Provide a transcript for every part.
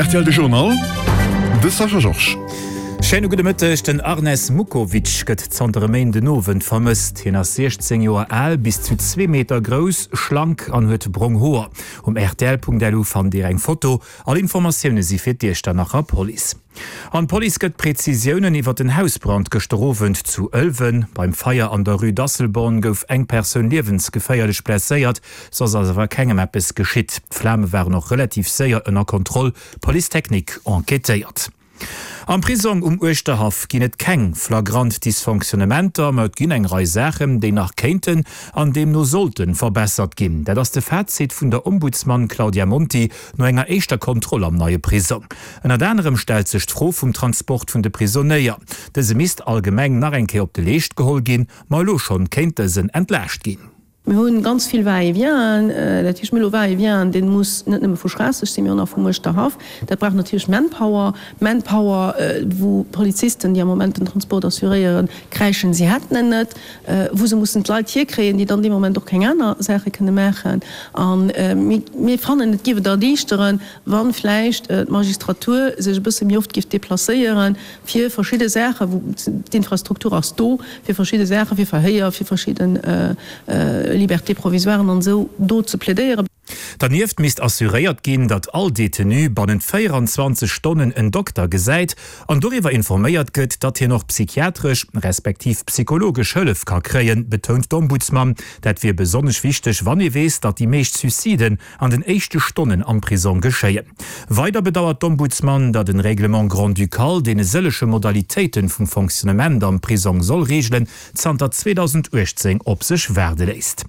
Rtl de Journal, de Sascha Georges. Schéine gudde Mëtteg. Den Arnes Mukovic gëtt zanter e Méindenowend vermësst. Hien ass 16 Joer al, bis zu zwee Meter grouss, schlank an huet brong Hoer. Um rtl.lu fannt Dir eng Foto. All Informatioune si fir d'Iechternacher Police. An d'Police gëtt Prezisiounen iwwer den Hausbrand gëschter Owend zu Ëlwen. Beim Feier an der Rue d'Asselborn gouf eng Persoun liewensgeféierlech blesséiert, soss ass awer kengem eppes geschitt. D'Flame waren och relativ séier ënner Kontroll, d'Police technique enquêtéiert. Am Prisong um Uerschterhaff ginn et keng flagrant Dysfonctionnementer, ma et ginn eng Rei Saachen, déi nach kéinten an deemno sollte verbessert ginn. Dat ass de Fazit vun der Ombudsman Claudia Monti no enger éischter Kontroll am neie Prisong. Ënnert anerem stellt sech d'Fro vum Transport vun de Prisonéier. Dëse misst allgemeng nach eng Kéier op de Leescht geholl ginn, ma elo schonn kéint dësen entlaascht ginn. Mir hu ganz vill Va-et-vienten, dat heescht mir hu elo Va-et-vient, dee muss net nëmme vu Schraasseg sinn, mee och nach vum Uerschterhaff. Dat brauch natierlech Manpower, Manpower, wou d'Polizisten, déi am Moment den Transport assuréieren, kräischen, si hätten en net, wou se mussen d'Leit hierkréien, déi dann dee Moment och keng aner Saache kënne maachen. A mir fannen, et géif et erliichteren, wa vläicht d'Magistratur sech e bësse méi oft géif deplacéieren, fir verschidde Saachen, wou d'Infrastruktur ass do, fir verschidde Saachen, fir Verhéier, fir verschidde Libertés provisoiren an esou do ze plädéieren. Dernieft misst assuréiert ginn, datt all Detenu bannent 24 Stonnen en Dokter gesäit an doriwwer informéiert gëtt, datt hien och psychiatresch respektiv psychologesch Hëllef ka kréien, betount d'Ombudsman. Dat wier besonnesch wichteg, wann ee weess, datt déi meescht Suiciden an den éischte Stonnen am Prisong geschéien. Weider bedauert d'Ombudsman, datt en Règlement grand-ducal, deen e sëllege Modalitéiten vum Fonctionnement am Prisong soll reegelen, zanter 2018 op sech waarde léisst.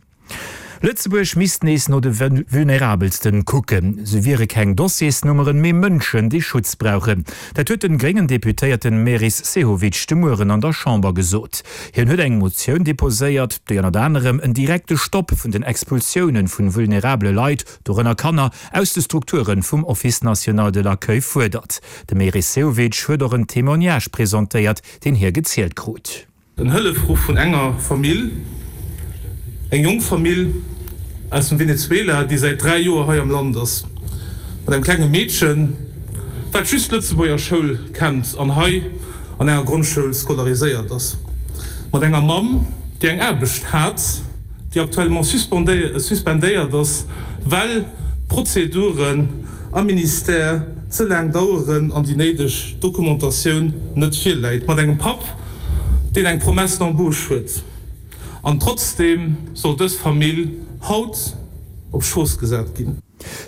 Lëtzebuerg misst nees no de Vulnerabelsten kucken. Se wiere keng Dossiersnummeren, mee Mënschen, déi Schutz brauchen. Dat huet den gréngen Deputéierten Meris Sehovic de Mueren an der Chamber gesot. Hien huet eng Motioun deposéiert, déi ënnert anerem en direkte Stopp vun den Expulsioune vun vulnerabele Leit, dorënner Kanner, aus de Strukture vum Office national de l'accueil fuerdert. De Meris Sehovic huet och en Témoignage presentéiert, deen hie gezielt krut. En Hëllefruff vun enger Famill, eng jonk Famill aus dem Venezuela, déi säit 3 Joer hei am Land ass, mat engem klenge Meedchen, wat just d'Lëtzebuerger Schoul kennt an hei an enger Grondschoul scolariséiert ass, mat enger Mamm, déi eng Aarbecht hat, déi actuellement suspendéiert ass, well d'Prozeduren am Ministère ze laang daueren an déi néideg Dokumentatioun net virläit, mat engem Papp, deen eng Promesse d'embauche huet, an trotzdeem soll dës Famill haut op d'Strooss gesat ginn.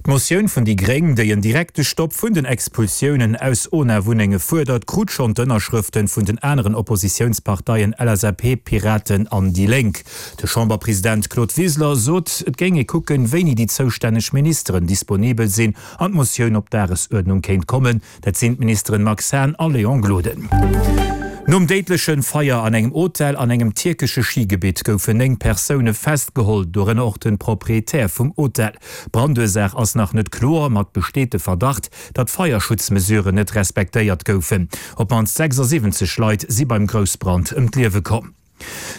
D'Motioun vun déi gréng, déi en direkte Stopp vun den Expulsiounen aus ONA-Wunnenge fuerdert, krut schonn d'Ënnerschrëfte vun den aneren Oppositiounsparteien LSAP, Piraten an déi Lénk. De Chamberpresident Claude Wiseler sot, et géing ee kucken, wéini déi zoustänneg Ministeren disponibel sinn an d'Motioun op d'Dagesuerdnung kéint kommen. Dat sinn d'Ministeren Max Hahn a Léon Gloden. Nom déidleche Feier an engem Hotel an engem tierkesche Schigebitt goufen 9 Persoune festgeholl, dorënner och de Proprietär vum Hotel. D'Brandursaach ass nach net kloer, ma et besteet de Verdacht, datt Feierschutzmesuren net respektéiert goufen. Op d'mannst 76 Leit si beim Groussbrand ëm d'Liewe komm.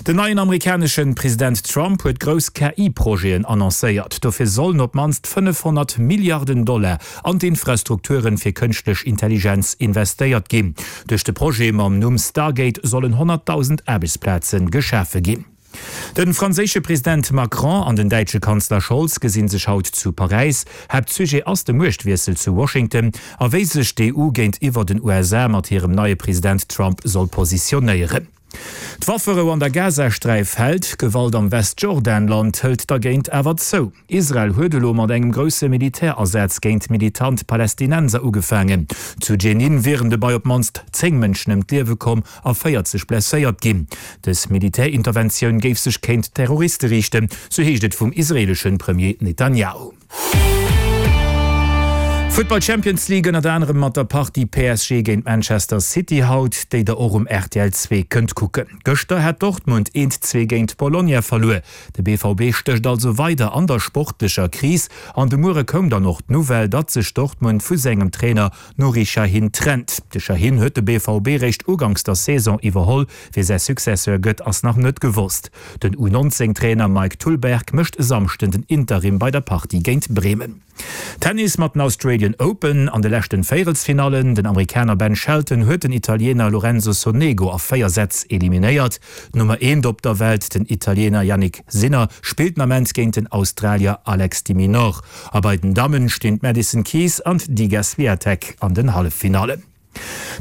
Den neien amerikanesche President Trump huet grouss KI-Projeten annoncéiert. Dofir sollen op d'mannst 500 Milliarden Dollar an d'Infrastrukturen fir kënschtlech Intelligenz investéiert ginn. Duerch de Projet mam Numm Stargate sollen 100.000 Aarbechtsplaze geschafe ginn. De franséische President Macron an den däitsche Kanzler Scholz gesi sech haut zu Paräis. Haaptsujet ass de Muechtwiessel zu Washington a wéi sech d'EU géintiwwer den USA mat hirem neie President Trump soll positionéieren. D'Wafferou an der Gazasträif hält, d'Gewalt am Westjordanland hëlt dergéint awer zou. Israel huet elo mat engem grousse Militärasaz géint militant Palästinenser ugefaangen. Zu Dschenin wieren dobei op d'mannst 10 Mënschen ëm d'Liewe komm a 40 blesséiert ginn. Dës Militärinterventioun géif sech kéint Terroriste riichten, sou heescht et vum israeelesche Premier Netanjahu. Futtball Champions League ënnert anerem mat der Partie PSG géint Manchester City haut, déi der och um rtl 2 kënnt kucken. Gëschter hat Dortmund 1, 2 géint Bologna verluer. De BVB stécht also weider an der sportlecher Kris an de Muere koum dann och d'Nouvelle, datt sech Dortmund vu sengem Trainer Nuri Sahin trennt. De Sahin huet de BVB réischt uganks der Saison iwwerholl. Wie säi Successeur gëtt, ass nach net gewosst. Den U19 Trainer Mike Tullberg mécht e Samschden den Interim bei der Partie géint Bremen. Tennis mat den Australian. Australian Open an de leschten Véierelsfinallen. Den Amerikaner Ben Shelton huet den Italiener Lorenzo Sonego a 4 Sätz eliminéiert. D'Nummer eent op der Welt, den Italiener Jannik Sinner, spillt den Ament géint den Australier Alex de Minaur. A bei den Dammen stinn d'Madison Keys an d'Iga Swiatek an den Halleffinallen.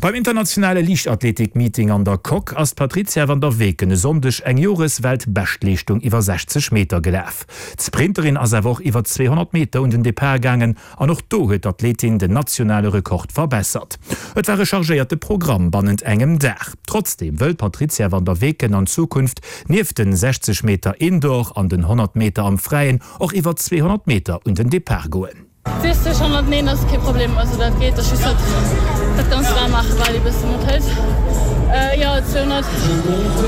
Beim internationale Liichtathletik-Meeting an der Coque ass d'Patrizia van der Weken e Sonndeg eng Jores-Weltbeschtleeschtung iwwer 60 Meter gelaf. D'Sprinterin ass awer och iwwer 200 Meter un den Depart gaangen an och do huet d'Athletin den nationale Rekord verbessert. Et war e chargéierte Programm bannent engem Dag. Trotzdeem wëll d'Patrizia van der Weken an Zukunft nieft den 60 Meter Indoor an den 100 Meter am Fräien och iwwer 200 Meter un den Depart goen. 60, 109 ass kee Problem, also dat geet, ass just dat dat ganzt waarm maachen wat ee bëssen net hëlt. Jo 200,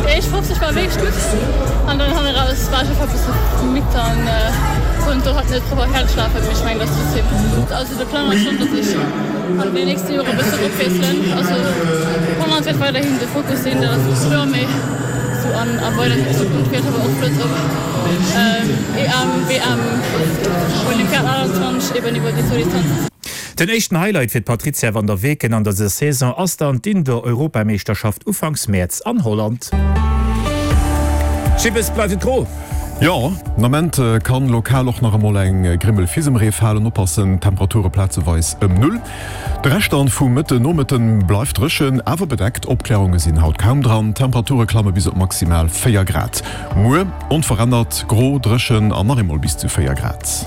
déi éischt 50 war wierklech gutt an dann hanne raus war ech einfach e bësse midd an konnt do halt net propper fäerdeg lafen, mee ech mengen dat ass trotzdem gutt. Also de Plang ass schonn, datt ech an den nächste Jore e bësse eropwiesselen, also 100 wäert weiderhin de Fokus sinn, dat ass kloer, mee sou an a weider Zukunft wier et awer och flott op. EM, WM, Olympiad 21 eben iwwer déi zwou Distanzen. Den éischten Highlight fir d'Patrizia van der Weken an dëser Saison ass dann d'Indoor-Europameeschterschaft ufanks Mäerz an Holland. Schibbes bleift et gro. Jo, den Ament kann lokal och nach emol eng Grimmel Fisemree falen. Oppassen, Temperature plazeweis ëm Null. De Rescht dann vum Mëtten Nomëtten bleift dréchen, awer bedeckt. Opklärunge sinn haut kaum dran, d'Temperature klamme bis op maximal 4 Grad. Muer onverännert gro, dréchen an nach eemol bis zu 4 Grad.